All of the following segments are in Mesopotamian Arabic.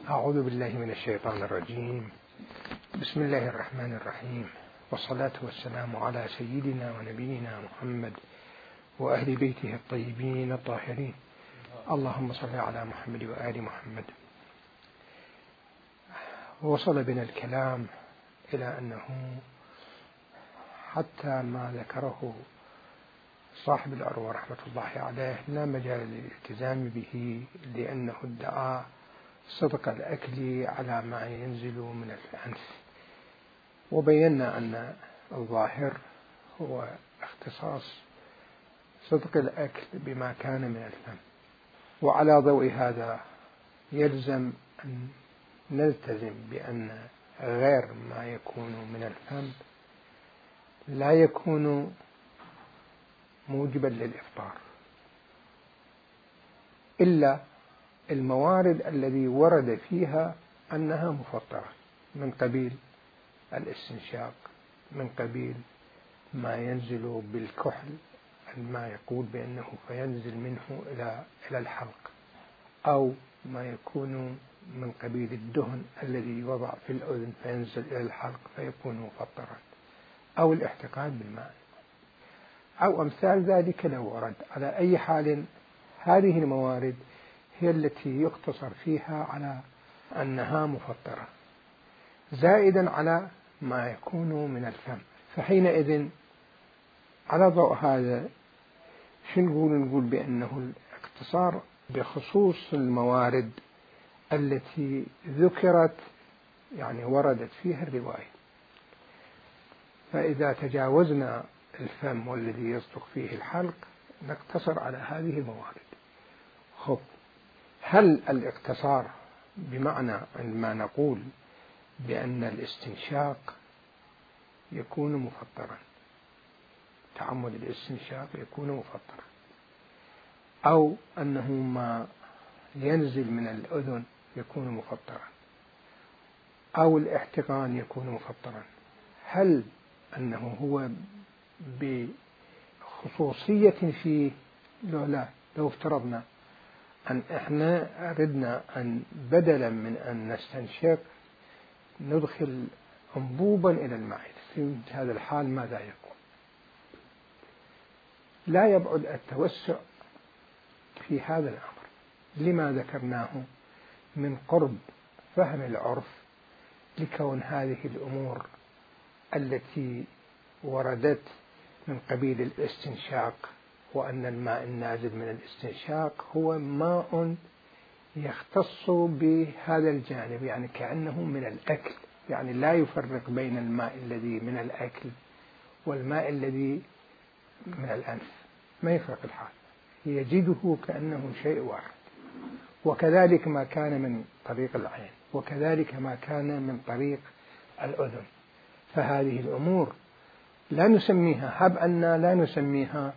أعوذ بالله من الشيطان الرجيم. بسم الله الرحمن الرحيم، والصلاة والسلام على سيدنا ونبينا محمد وأهل بيته الطيبين الطاهرين. اللهم صل على محمد وآل محمد. وصل بنا الكلام إلى أنه حتى ما ذكره صاحب العروة رحمة الله عليه لا مجال للالتزام به، لأنه ادعى صدق الأكل على ما ينزل من الأنف، وبينا أن الظاهر هو اختصاص صدق الأكل بما كان من الفم. وعلى ضوء هذا يلزم أن نلتزم بأن غير ما يكون من الفم لا يكون موجبا للإفطار، إلا الموارد الذي ورد فيها أنها مفطرة، من قبيل الاستنشاق، من قبيل ما ينزل بالكحل، ما يقول بأنه فينزل منه إلى الحلق، أو ما يكون من قبيل الدهن الذي يوضع في الأذن فينزل إلى الحلق فيكون مفطرا، أو الاحتقان بالماء، أو أمثال ذلك لو ورد. على أي حال هذه الموارد هي التي يقتصر فيها على أنها مفطرة، زائدا على ما يكون من الفم. فحينئذ على ضوء هذا شو نقول بأنه الاقتصار بخصوص الموارد التي ذكرت، يعني وردت فيها الرواية. فإذا تجاوزنا الفم والذي يصدق فيه الحلق نقتصر على هذه الموارد. خب، هل الاقتصار بمعنى عندما نقول بأن الاستنشاق يكون مفطرا، تعمد الاستنشاق يكون مفطرا، أو أنه ما ينزل من الأذن يكون مفطرا، أو الاحتقان يكون مفطرا، هل أنه هو بخصوصية فيه؟ لا، لو افترضنا أن إحنا أردنا أن بدلا من أن نستنشق ندخل أنبوبا إلى المعدة، في هذا الحال ماذا يكون؟ لا يبعد التوسع في هذا الأمر لما ذكرناه من قرب فهم العرف، لكون هذه الأمور التي وردت من قبيل الاستنشاق، وأن الماء النازل من الاستنشاق هو ماء يختص بهذا الجانب، يعني كأنه من الأكل، يعني لا يفرق بين الماء الذي من الأكل والماء الذي من الأنف، ما يفرق الحال، يجده كأنه شيء واحد. وكذلك ما كان من طريق العين، وكذلك ما كان من طريق الأذن. فهذه الأمور لا نسميها، هب أننا لا نسميها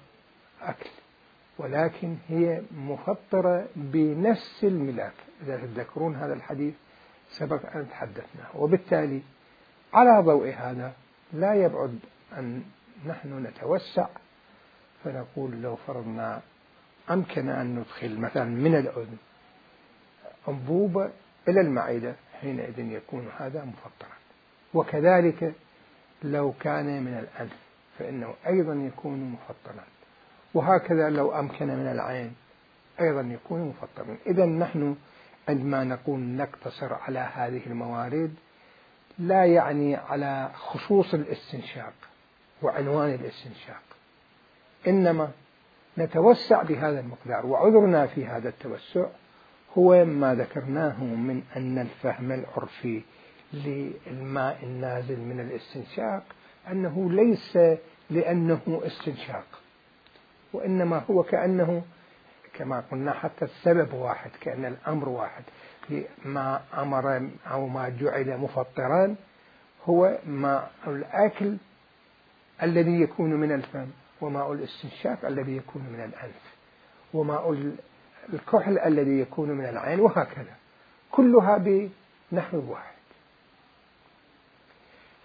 أكل، ولكن هي مفطرة بنفس الملاك. إذا تذكرون هذا الحديث سبق أن تحدثنا، وبالتالي على ضوء هذا لا يبعد أن نحن نتوسع فنقول لو فرضنا أمكن أن ندخل مثلا من الأذن أنبوبة إلى المعدة، حينئذ يكون هذا مفطرا. وكذلك لو كان من الأنف فإنه أيضا يكون مفطرا، وهكذا لو أمكن من العين أيضا يكون مفطرا. إذن نحن عندما نقول نقتصر على هذه الموارد لا يعني على خصوص الاستنشاق وعنوان الاستنشاق، إنما نتوسع بهذا المقدار. وعذرنا في هذا التوسع هو ما ذكرناه من أن الفهم العرفي للماء النازل من الاستنشاق أنه ليس لأنه استنشاق، وإنما هو كأنه كما قلنا حتى السبب واحد، كأن الأمر واحد. ما أمر أو ما جعل مفطران هو ماء الأكل الذي يكون من الفم، وماء الاستنشاق الذي يكون من الأنف، وماء الكحل الذي يكون من العين، وهكذا كلها بنحو واحد.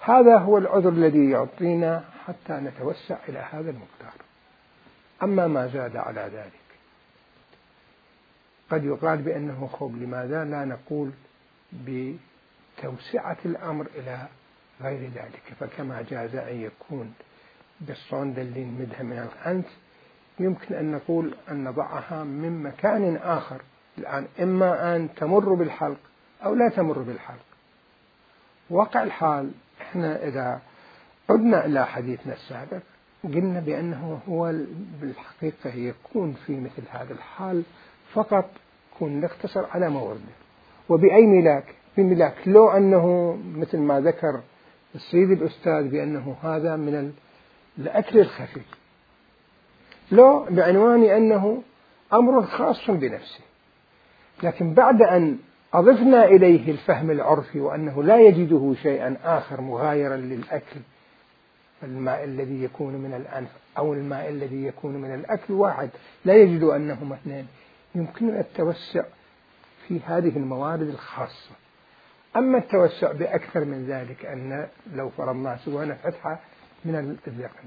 هذا هو العذر الذي يعطينا حتى نتوسع إلى هذا المقدار. أما ما زاد على ذلك قد يقال بأنه خب، لماذا لا نقول بتوسعة الأمر إلى غير ذلك. فكما جاز أن يكون بالصندل اللي نمدها من الأنف يمكن أن نقول أن نضعها من مكان آخر الآن، إما أن تمر بالحلق أو لا تمر بالحلق. واقع الحال إحنا إذا عدنا إلى حديثنا السابق قلنا بأنه هو بالحقيقة يكون في مثل هذا الحال فقط يكون نقتصر على مورده. وبأي ملاك؟ بملاك لو أنه مثل ما ذكر السيد الأستاذ بأنه هذا من الأكل الخفي، لو بعنوان أنه أمر خاص بنفسه، لكن بعد أن أضفنا إليه الفهم العرفي وأنه لا يجده شيئا آخر مغايرا للأكل، الماء الذي يكون من الأنف أو الماء الذي يكون من الأكل واحد، لا يجد أنهما اثنين، يمكننا التوسع في هذه الموارد الخاصة. أما التوسع بأكثر من ذلك، أن لو فرضنا سوينا فتحة من الذقن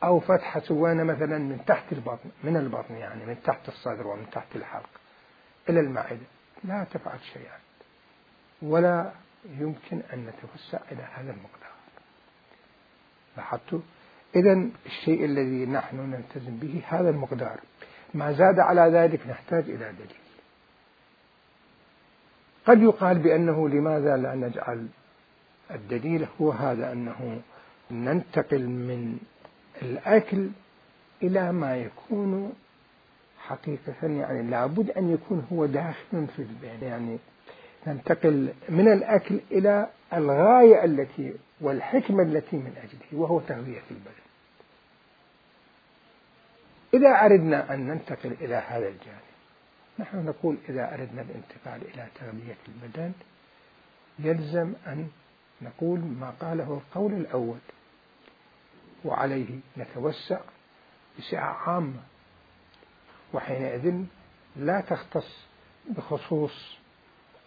أو فتحة سوينا مثلا من تحت البطن، من البطن يعني من تحت الصدر ومن تحت الحلق إلى المعدة، لا تفعل شيئا ولا يمكن أن نتوسع إلى هذا المقدار. لاحظتوا؟ إذن الشيء الذي نحن نلتزم به هذا المقدار، ما زاد على ذلك نحتاج إلى دليل. قد يقال بأنه لماذا لا نجعل الدليل هو هذا، أنه ننتقل من الأكل إلى ما يكون حقيقة، يعني لابد أن يكون هو داخل في البين، يعني ننتقل من الأكل إلى الغاية التي والحكمة التي من أجله، وهو تغذية البدن. إذا أردنا أن ننتقل إلى هذا الجانب، نحن نقول إذا أردنا الانتقال إلى تغذية البدن يلزم أن نقول ما قاله القول الأول، وعليه نتوسع بسعة عامة، وحينئذ لا تختص بخصوص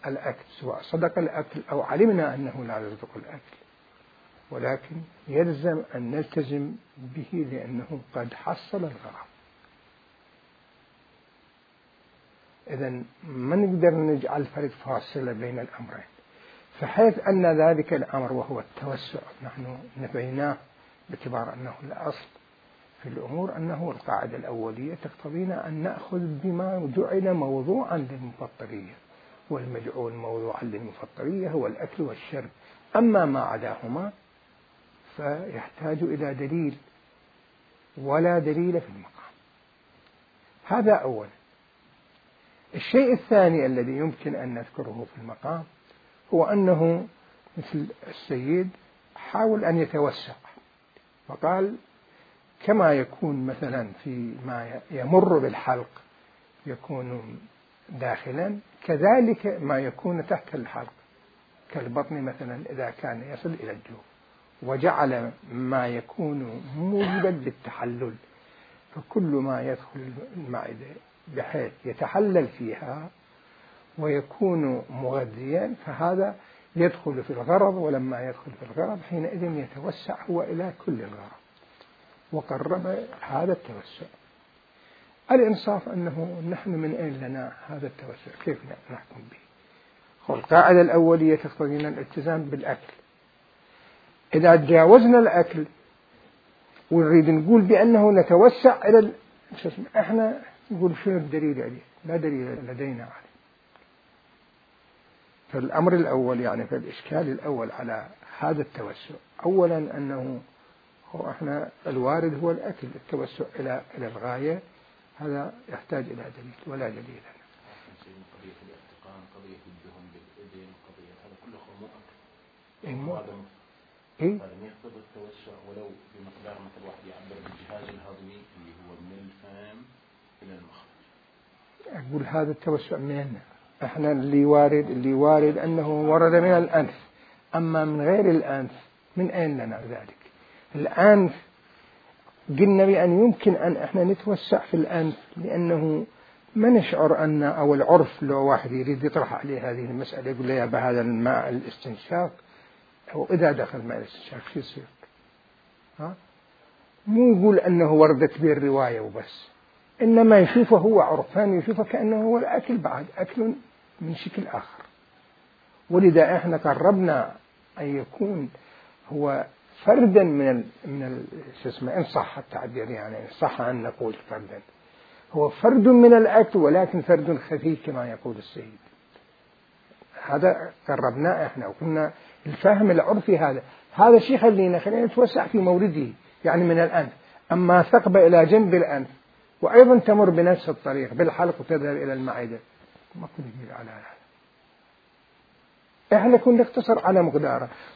الأكل، سواء صدق الأكل أو علمنا أنه لا يصدق الأكل، ولكن يلزم أن نلتزم به لأنه قد حصل الغرض. إذن ما نقدر نجعل فرق فاصلة بين الأمرين، فحيث أن ذلك الأمر وهو التوسع نحن نبيناه باعتبار أنه الأصل في الأمور، أنه القاعدة الأولية تقتضينا أن نأخذ بما جعل موضوعا للمفطرية، والمجعول موضوعا للمفطرية هو الأكل والشرب، أما ما عداهما فيحتاج إلى دليل، ولا دليل في المقام. هذا أولا. الشيء الثاني الذي يمكن أن نذكره في المقام هو أنه مثل السيد حاول أن يتوسع، فقال كما يكون مثلا في ما يمر بالحلق يكون داخلا، كذلك ما يكون تحت الحلق كالبطن مثلا إذا كان يصل إلى الجوف، وجعل ما يكون موجبا للتحلل، فكل ما يدخل المعدة بحيث يتحلل فيها ويكون مغذيا فهذا يدخل في الغرض، ولما يدخل في الغرض حينئذ يتوسع هو إلى كل الغرض، وقرب هذا التوسع. الإنصاف أنه نحن من أين لنا هذا التوسع؟ كيف نحكم به؟ القاعدة الأولية تقتضينا الالتزام بالأكل. إذا تجاوزنا الأكل ونريد نقول بأنه نتوسع إلى إحنا نقول شنو الدليل عليه؟ لا دليل لدينا عليه. فالأمر الأول يعني في الإشكال الأول على هذا التوسع، أولا أنه هو إحنا الوارد هو الأكل، التوسع إلى الغاية هذا يحتاج إلى دليل، ولا دليل لنا. قضية الاحتقان، قضية الدهن بالإذن، قضية هذا كله خموء أكل. هذا يقتضي التوسع ولو بمقدار مثل واحد يعبر بالجهاز الهضمي اللي هو من الفم إلى المخرج. أقول هذا التوسع منين؟ إحنا اللي وارد أنه ورد من الأنف، أما من غير الأنف من أين لنا ذلك؟ الأنف قلنا بأن يمكن أن إحنا نتوسع في الأنف لأنه ما نشعر أن، أو العرف لو واحد يريد يطرح عليه هذه المسألة يقول له يا بهذا الماء الاستنشاق، أو إذا دخل ماء الاستنشاق شو يصير؟ مو يقول أنه وردت به الرواية وبس، إنما يشوفه هو عرفان، يشوفه كأنه هو الأكل بعد أكل من شكل آخر. ولذا احنا قربنا أن يكون هو فردا من شو اسمه، إن صح التعبير، يعني إن صح أن نقول فردا، هو فرد من الأكل ولكن فرد خفي كما يقول السيد. هذا قربناه احنا وقلنا الفهم العرفي هذا الشيء خلينا نتوسع في مورده، يعني من الأنف. أما ثقبة إلى جنب الأنف وأيضا تمر بنفس الطريق بالحلق وتذهب إلى المعدة، ما كنا نجيب على هذا. احنا كنا نقتصر على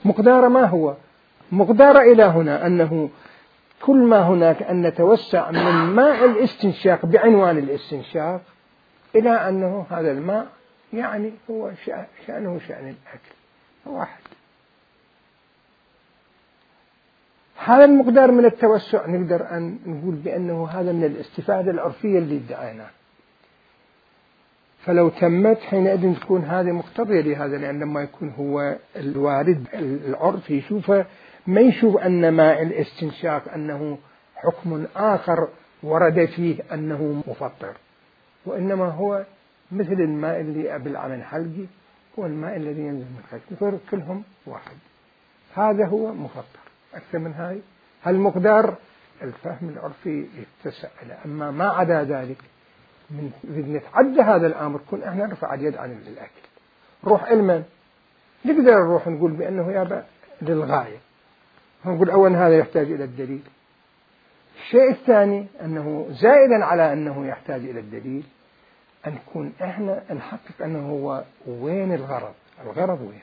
مقداره ما هو مقداره إلى هنا، أنه كل ما هناك أن نتوسع من ماء الاستنشاق بعنوان الاستنشاق إلى أنه هذا الماء يعني هو شأنه شأن الأكل واحد. هذا المقدار من التوسع نقدر أن نقول بأنه هذا من الاستفادة العرفية اللي ادعيناه. فلو تمت حينئذ تكون هذه مقتضية لهذا، لأن لما يكون هو الوارد العرف يشوفه، ما يشوف أن ماء الاستنشاق أنه حكم آخر ورد فيه أنه مفطر، وإنما هو مثل الماء اللي بالعمل حلقي هو الماء الذي ينزل من الخشب، كلهم واحد. هذا هو مفطر. أكثر من هاي هالمقدار الفهم العرفي يتسع له. أما ما عدا ذلك من نتعدى هذا الأمر كن احنا نرفع اليد عن الأكل. روح علما نقدر نروح نقول بأنه يابا للغاية، نقول أولا هذا يحتاج إلى الدليل. الشيء الثاني أنه زائدا على أنه يحتاج إلى الدليل أن نكون احنا نحقق أنه هو وين الغرض وين.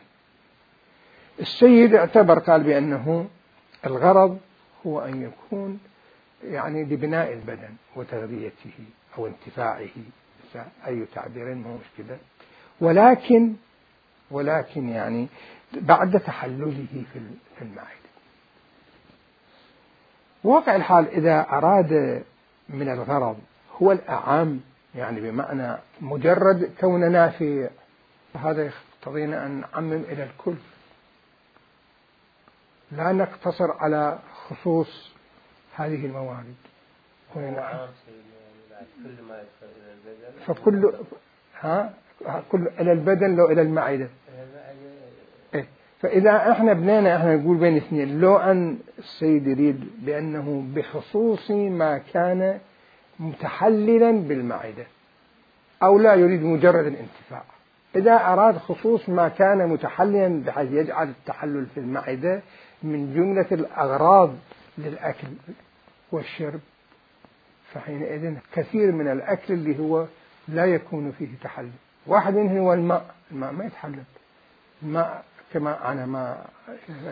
السيد اعتبر قال بأنه الغرض هو أن يكون يعني لبناء البدن وتغذيته أو انتفاعه، أي تعبير مو مشكلة، ولكن يعني بعد تحلله في المعدة. واقع الحال إذا أراد من الغرض هو الأعم، يعني بمعنى مجرد كوننا في هذا يقتضينا أن نعمم إلى الكل، لا نقتصر على خصوص هذه الموارد. فكل كل إلى البدن لو إلى المعدة. فإذا احنا بنينا احنا نقول بين اثنين، لو أن السيد يريد بأنه بخصوص ما كان متحللا بالمعدة، أو لا يريد مجرد الانتفاع. إذا أراد خصوص ما كان متحللا بحيث يجعل التحلل في المعدة من جملة الأغراض للأكل والشرب، فحينئذ كثير من الأكل اللي هو لا يكون فيه تحلل. واحد منه هو الماء ما يتحلل. الماء كما أنا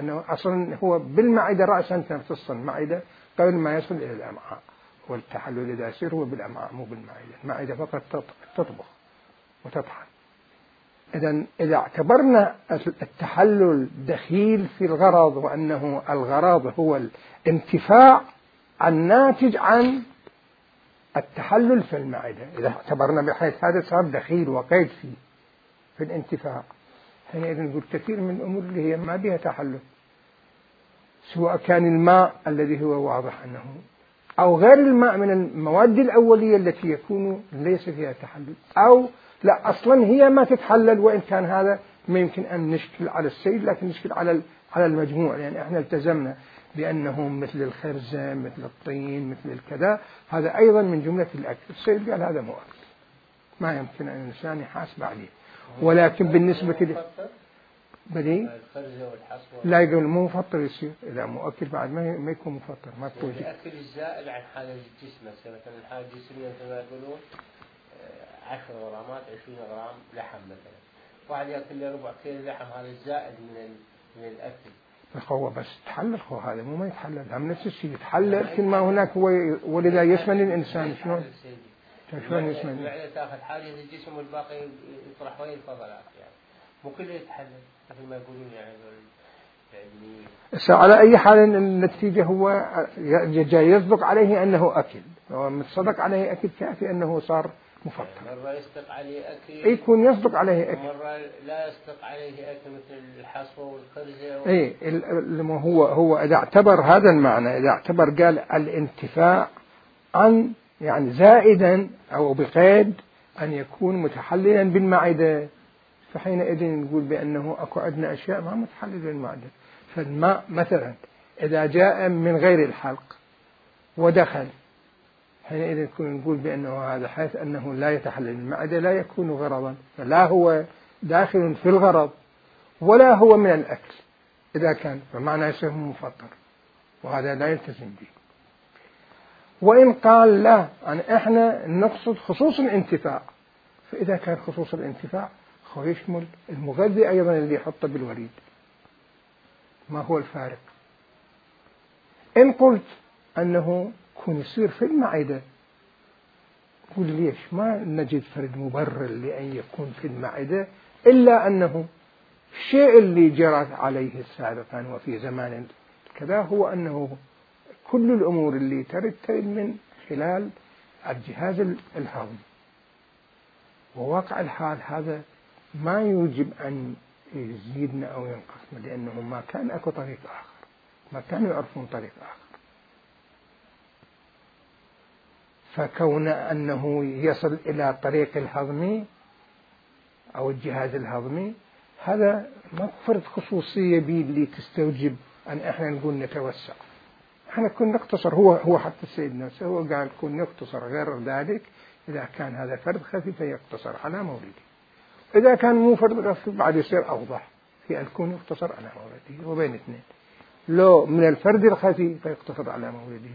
أنه أصلا هو بالمعدة رأسا تمتص المعدة قبل ما يصل إلى الأمعاء، والتحلل إذا يصير هو بالأمعاء مو بالمعدة. المعدة فقط تطبخ وتطحن. إذا اعتبرنا التحلل دخيل في الغرض، وأنه الغرض هو الانتفاع الناتج عن التحلل في المعدة، إذا اعتبرنا بحيث هذا صار دخيل وقيد فيه في الانتفاع، حينئذ نقول كثير من الأمور اللي هي ما بها تحلل، سواء كان الماء الذي هو واضح أنه أو غير الماء من المواد الأولية التي يكون ليس فيها تحلل، أو لا أصلا هي ما تتحلل، وإن كان هذا ما يمكن أن نشكل على السيد لكن نشكل على المجموع، لأن يعني احنا التزمنا بأنه مثل الخرزة مثل الطين مثل الكذا هذا أيضا من جملة الأكل. السيد قال هذا مو أكل، ما يمكن أن الإنسان يحاسب عليه. ولكن بالنسبة بدي لا يقول مو مفطر يصير، إذا مو أكل بعد ما يكون مفطر، ما تكون الأكل الزائد عن حاجة الجسم. مثلا الحاجة الجسمية كما يقولون 10 غرامات 20 غرام لحم مثلا، واحد يأكل له ربع كيلو لحم، هذا الزائد من الأكل. هو بس تحلل، هذا مو ما يتحلل، هم نفس الشيء يتحلل كل ما هناك هو، ولذا يسمن الإنسان. شلون يسمن؟ المعدة تأخذ حاجة الجسم والباقي يطرح وين الفضلات، يعني مو كله يتحلل مثل ما يقولون يعني. على أي حال النتيجة هو جاي يصدق عليه أنه أكل، ومتصدق عليه أكل كافي أنه صار مفطر. مرة يصدق عليه أكل، يكون يصدق عليه أكل، مرة لا يصدق عليه أكل مثل الحصوة والخرزة هو إذا اعتبر هذا المعنى، إذا اعتبر قال الانتفاع عن يعني زائدا أو بقيد أن يكون متحللا بالمعدة، فحينئذ نقول بأنه أكو عندنا أشياء ما متحللة بالمعدة. فالماء مثلا إذا جاء من غير الحلق ودخل، حينئذ نقول بأنه هذا حيث أنه لا يتحلل بالمعدة لا يكون غرضا، فلا هو داخل في الغرض ولا هو من الأكل إذا كان، فمعنى يصير مفطر، وهذا لا يلتزم به. وإن قال لا، يعني إحنا نقصد خصوص الانتفاع، فإذا كان خصوص الانتفاع هو يشمل المغذي أيضا اللي يحطه بالوريد. ما هو الفارق؟ إن قلت أنه يكون يصير في المعدة، قل ليش ما نجد فرد مبرر لأن يكون في المعدة إلا أنه الشيء اللي جرت عليه سابقا وفي زمان كذا هو أنه كل الأمور اللي ترد من خلال الجهاز الهضمي. وواقع الحال هذا ما يوجب أن يزيدنا أو ينقصنا، لأنه ما كان أكو طريق آخر، ما كانوا يعرفون طريق آخر. فكون أنه يصل إلى طريق الهضمي أو الجهاز الهضمي، هذا ما فرض خصوصية بي اللي تستوجب أن إحنا نقول نتوسع. إحنا كنا نقتصر، هو حتى السيد نفسه هو قال كنا نقتصر، غير ذلك إذا كان هذا فرد خفي فيقتصر على مولده، إذا كان مو فرد خفي بعد يصير أوضح في أن يكون يقتصر على مولده. وبين اثنين، لو من الفرد الخفي فيقتصر على مولده،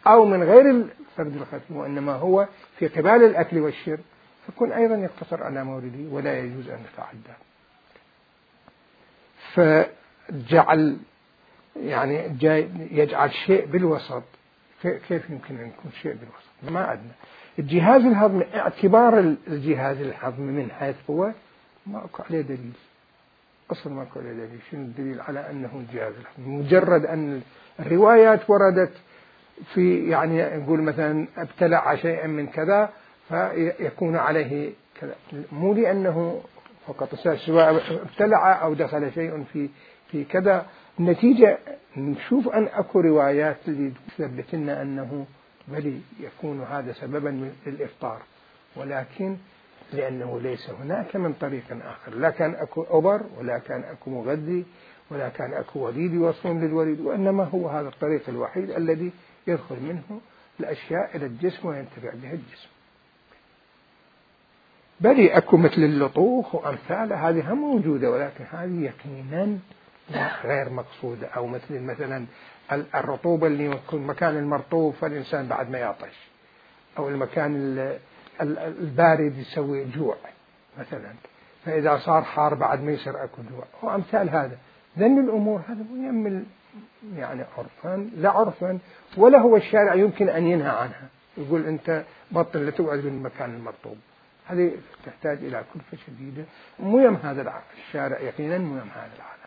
أو من غير الفرد الخفي وإنما هو في قبال الأكل والشرب، فكون أيضا يقتصر على مولده ولا يجوز أن يتعدى. فجعل يعني يجعل شيء بالوسط. كيف يمكن أن يكون شيء بالوسط؟ ما عندنا الجهاز الهضمي، اعتبار الجهاز الهضمي من حيث هو ما أكو عليه دليل أصلا، ما أكو عليه دليل. شنو الدليل على أنه الجهاز الهضمي؟ مجرد أن الروايات وردت في يعني نقول مثلا ابتلع شيئا من كذا فيكون عليه كذا، مو لأنه فقط سواء ابتلع أو دخل شيء في كذا. النتيجة نشوف أن أكو روايات اللي تثبت لنا أنه بل يكون هذا سببا للإفطار، ولكن لأنه ليس هناك من طريق آخر، لا كان أكو أبر ولا كان أكو مغذي ولا كان أكو وليد يوصلون للوليد، وإنما هو هذا الطريق الوحيد الذي يدخل منه الأشياء إلى الجسم وينتفع بها الجسم. بل أكو مثل اللطوخ وأمثالها هذه هم موجودة، ولكن هذه يقينا غير مقصودة. أو مثلا الرطوبة اللي يكون مكان المرطوب فالإنسان بعد ما يعطش، أو المكان البارد يسوي جوع مثلا، فإذا صار حار بعد ما يصير أكو جوع، وأمثال هذا. ذن الأمور هذا يعمل يعني عرفا لا عرفا، ولا هو الشارع يمكن أن ينهى عنها، يقول أنت بطل لا تقعد بالمكان المرطوب. هذه تحتاج إلى كلفة شديدة، مهم هذا الشارع يقينا، مهم هذا العالم.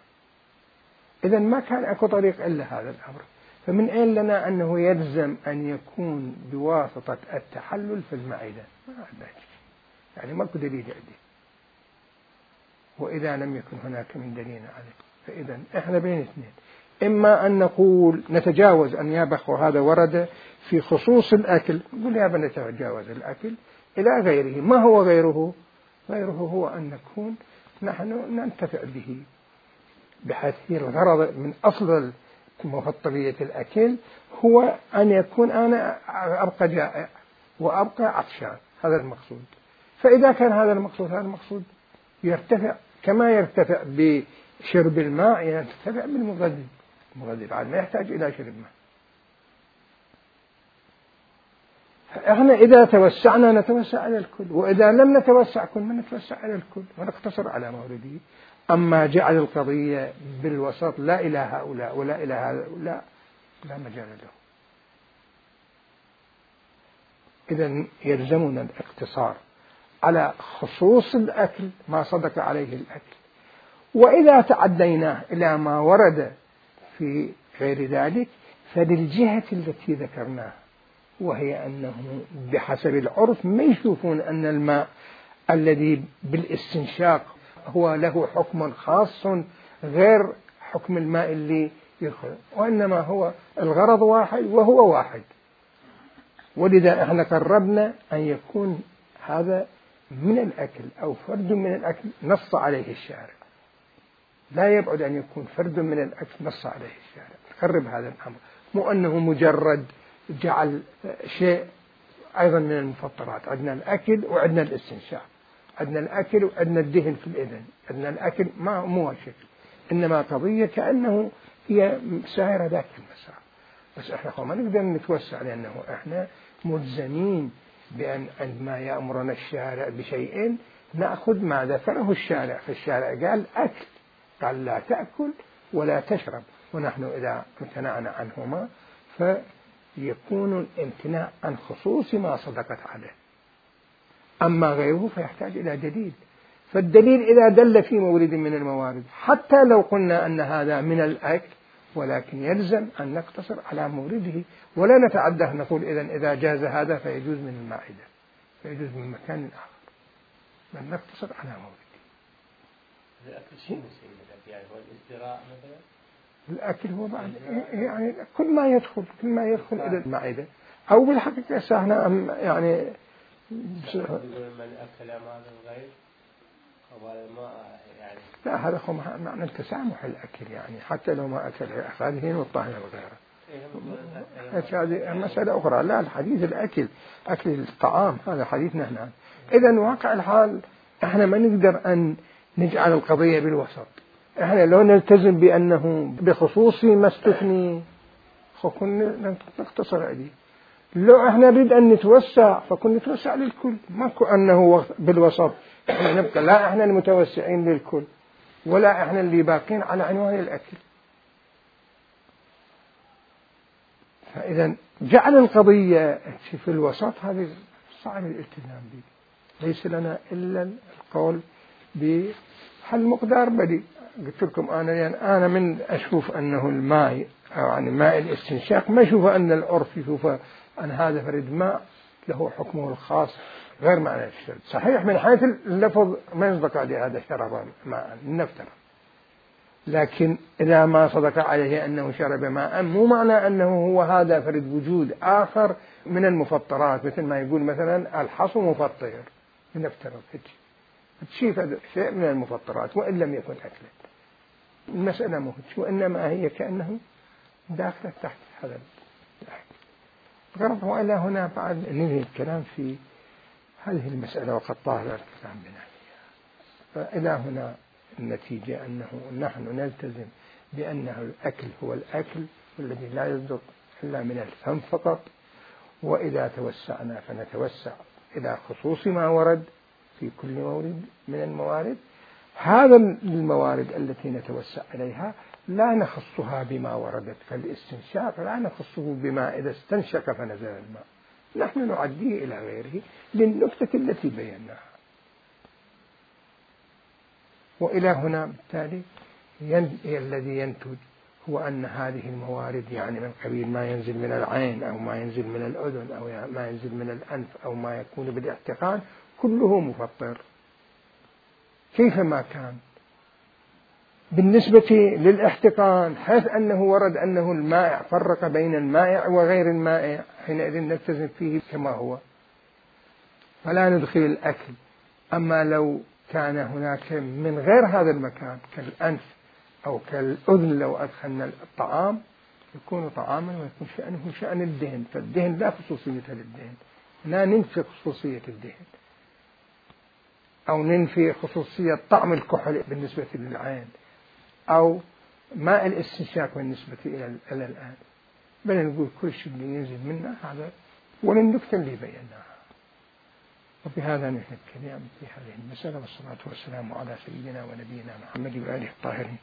إذا ما كان أكو طريق إلا هذا الأمر، فمن أين لنا أنه يلزم أن يكون بواسطة التحلل في المعدة؟ ما عندنا يعني ماكو دليل عندي، وإذا لم يكن هناك من دليل عليه فإذا إحنا بين اثنين، إما أن نقول نتجاوز أن يابخ هذا ورد في خصوص الأكل، نقول يا بنا نتجاوز الأكل إلى غيره. ما هو غيره؟ غيره هو أن نكون نحن ننتفع به، بحيث الغرض من أصل طبيعة الأكل هو أن يكون أنا أبقى جائع وأبقى عطشان، هذا المقصود. فإذا كان هذا المقصود، هذا المقصود يرتفع كما يرتفع بشرب الماء، يرتفع بالمغذي. المغذي بعد ما يحتاج إلى شرب ماء. فإحنا إذا توسعنا نتوسع على الكل، وإذا لم نتوسع كل ما نتوسع على الكل ونقتصر على مورده. أما جعل القضية بالوسط لا إلى هؤلاء ولا إلى هؤلاء لا مجال له. إذن يلزمنا الاقتصار على خصوص الأكل ما صدق عليه الأكل، وإذا تعديناه إلى ما ورد في غير ذلك فللجهة التي ذكرناها، وهي أنه بحسب العرف ما يشوفون أن الماء الذي بالاستنشاق هو له حكم خاص غير حكم الماء اللي يدخل، وإنما هو الغرض واحد وهو واحد. ولذا احنا قربنا أن يكون هذا من الأكل أو فرد من الأكل نص عليه الشارع، لا يبعد أن يكون فرد من الأكل نص عليه الشارع. تقرب هذا الأمر، مو أنه مجرد جعل شيء أيضا من المفطرات. عندنا الأكل وعندنا الاستنشاق، عندنا الأكل وعندنا الدهن في الإذن، عندنا الأكل مو هالشكل، إنما قضية كأنه هي سائرة ذاك المسار. بس إحنا ما نقدر نتوسع، لأنه إحنا ملزمين بأن عندما يأمرنا الشارع بشيء نأخذ ما ذكره الشارع. فالشارع قال أكل، قال لا تأكل ولا تشرب، ونحن إذا امتنعنا عنهما فيكون الامتناع عن خصوص ما صدقت عليه. أما غيره فيحتاج إلى دليل، فالدليل إذا دل في مورد من الموارد حتى لو قلنا أن هذا من الأكل، ولكن يلزم أن نقتصر على مورده ولا نتعدى نقول إذا جاز هذا فيجوز من المائدة، فيجوز من مكان آخر، بل نقتصر على مورده. الأكل شيء مسيلة يعني هو الازدراء مثلا. الأكل هو بعد يعني كل ما يدخل إلى المائدة، أو بالحقيقة سهنا يعني من أكل مال الغير ما يعني لا، هذا هو معنى التسامح الأكل، يعني حتى لو ما أكل هذه والطاهية وغيره هذه مسألة أخرى. لا، الحديث الأكل، أكل الطعام هذا حديثنا هنا. إذن واقع الحال إحنا ما نقدر أن نجعل القضية بالوسط. إحنا لو نلتزم بأنه بخصوص ما استثني فكنا نقتصر عليه. لو إحنا نريد أن نتوسع فكنا نتوسع للكل، ماكو أنه بالوسط إحنا نبقى لا إحنا المتوسعين للكل ولا إحنا اللي باقين على عنوان الأكل. فإذا جعل القضية في الوسط هذه صعب الالتزام به. ليس لنا إلا القول بحل مقدار بديل. قلت لكم أنا من أشوف أنه الماء أو يعني ماء الاستنشاق ما أشوف أن العرف يشوف أن هذا فرد ماء له حكمه الخاص غير معنى الشرب. صحيح من حيث اللفظ ما يصدق عليه هذا شرب ماء نفترض، لكن إذا ما صدق عليه أنه شرب ماء مو معنى أنه هو هذا فرد وجود آخر من المفطرات، مثل ما يقول مثلا الحصو مفطر نفترض شيء من المفطرات وإن لم يكن أكلا. المسألة مو هيك، وإنما هي كأنه داخلة تحت هذا الغرض. وإلى هنا بعد ننهي الكلام في هذه المسألة وقد طال الكلام بنا فيها. فإلى هنا النتيجة أنه نحن نلتزم بأنه الأكل هو الأكل والذي لا يصدق إلا من الفم فقط، وإذا توسعنا فنتوسع إلى خصوص ما ورد في كل مورد من الموارد. هذا الموارد التي نتوسع إليها لا نخصها بما وردت، فالاستنشاق لا نخصه بما إذا استنشق فنزل الماء، نحن نعديه إلى غيره للنكتة التي بيناها. وإلى هنا بالتالي الذي ينتج هو أن هذه الموارد يعني من قبيل ما ينزل من العين أو ما ينزل من الأذن أو ما ينزل من الأنف أو ما يكون بالاحتقان كله مفطر كيفما كان. بالنسبة للاحتقان حيث أنه ورد أنه المائع فرق بين المائع وغير المائع، حينئذ نلتزم فيه كما هو فلا ندخل الأكل. أما لو كان هناك من غير هذا المكان كالأنف أو كالأذن لو أدخلنا الطعام يكون طعاما ويكون شأنه شأن الدهن، فالدهن لا خصوصية للدهن، لا ننفي خصوصية الدهن أو ننفي خصوصية طعم الكحل بالنسبة للعين أو ماء الاستنشاق بالنسبة إلى الآن، بل نقول كل شيء اللي ينزل منا هذا وللنكتة اللي بيناها. وبهذا نحن الكلام في هذه المسألة، والصلاة والسلام على سيدنا ونبينا محمد وآله الطاهرين.